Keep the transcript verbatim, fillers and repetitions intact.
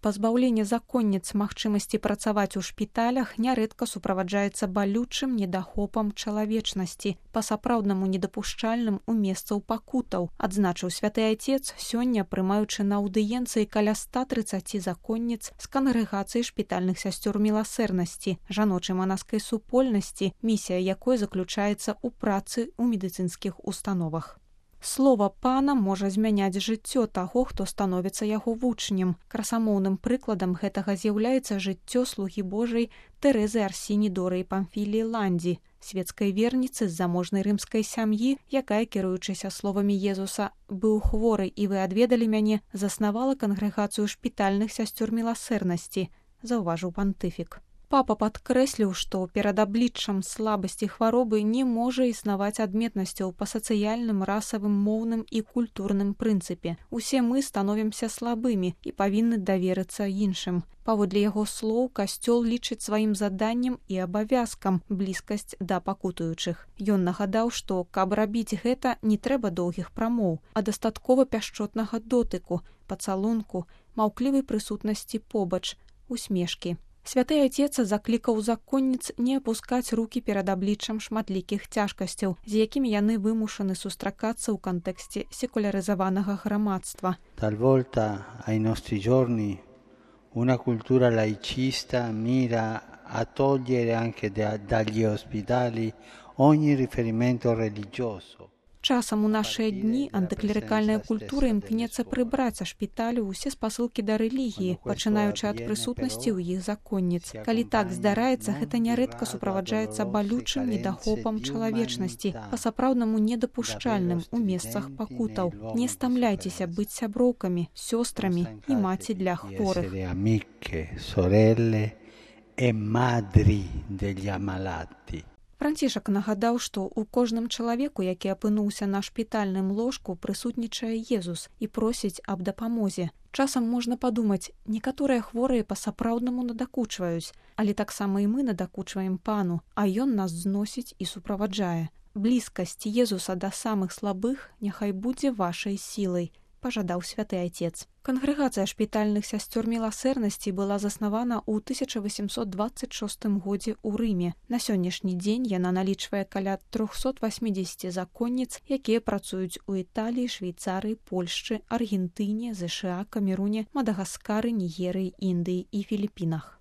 Пазбаўленне законніц магчымасці працаваць у шпіталях нярэдка суправаджаецца балючым недахопам чалавечнасці, па-сапраўднаму недапушчальным у месцаў пакутаў, адзначыў святы айцец, сёння прымаючы на аўдыенцыі каля ста трыццаці законніц з кангрэгацыі шпітальных сясцёр міласэрнасці, жаночай манаскай супольнасці, місія якой заключаецца ў працы ў медыцынскіх установах. Слова пана можа змяняць жыццё таго, хто становіцца яго вучнем. Красамоўным прыкладам гэтага з'яўляецца жыццё слугі Божай Тэрэзы Арсіні Дорыі Памфіліі Ландзі, свецкай верніцы з заможнай рымскай сям'і, якая, кіруючыся словамі Езуса «быў хворы і вы адведалі мяне», заснавала кангрэгацыю шпітальных сясцёр міласэрнасці, заўважыў пантыфік. Папа падкрэсліў, што перад абліччам слабасці хваробы не можа існаваць адметнасцяў па сацыяльным, расавым, моўным і культурным прынцыпе. Усе мы становімся слабымі і павінны даверыцца іншым. Паводле яго слоў, касцёл лічыць сваім заданнем і абавязкам блізкасць да пакутуючых. Ён нагадаў, што, каб рабіць гэта, не трэба доўгіх прамоў, а дастаткова пяшчотнага дотыку, пацалунку, маўклівай прысутнасці побач, усмешкі. Святы айцец заклікаў законніц не апускаць рукі перад абліччам шматлікіх цяжкасцяў, з якімі яны вымушаны сустракацца ў кантэксце секулярызаванага грамадства. Talvolta ai nostri giorni una cultura laicista mira a togliere anche da, dagli ospedali ogni riferimento religioso. Часам у нашыя дні антыклерыкальная культура імкнецца прыбраць са шпіталю ўсе спасылкі да рэлігіі, пачынаючы ад прысутнасці ў іх законніц. Калі так здараецца, гэта нярэдка суправаджаецца балючым недахопам чалавечнасці, па-сапраўднаму недапушчальным у месцах пакутаў. Не стамляйцеся быць сяброўкамі, сёстрамі і маці для хворых. Францішак нагадаў, што ў кожным чалавеку, які апынуўся на шпітальным ложку, прысутнічае Езус і просіць аб дапамозе. Часам можна падумаць, некаторыя хворыя па-сапраўднаму надакучваюць, але таксама і мы надакучваем пану, а ён нас зносіць і суправаджае. Блізкасць Езуса да самых слабых няхай будзе вашай сілай, пажадаў святы айцец. Кангрэгацыя шпітальных сясцёр міласэрнасці была заснавана ў тысяча васемсот дваццаць шостым годзе ў Рыме. На сённяшні дзень яна налічвае каля трохсот васьмідзесяці законніц, якія працуюць у Італіі, Швейцарыі, Польшчы, Аргентыне, ЗША, Камеруне, Мадагаскары, Нігерыі, Індыі і Філіпінах.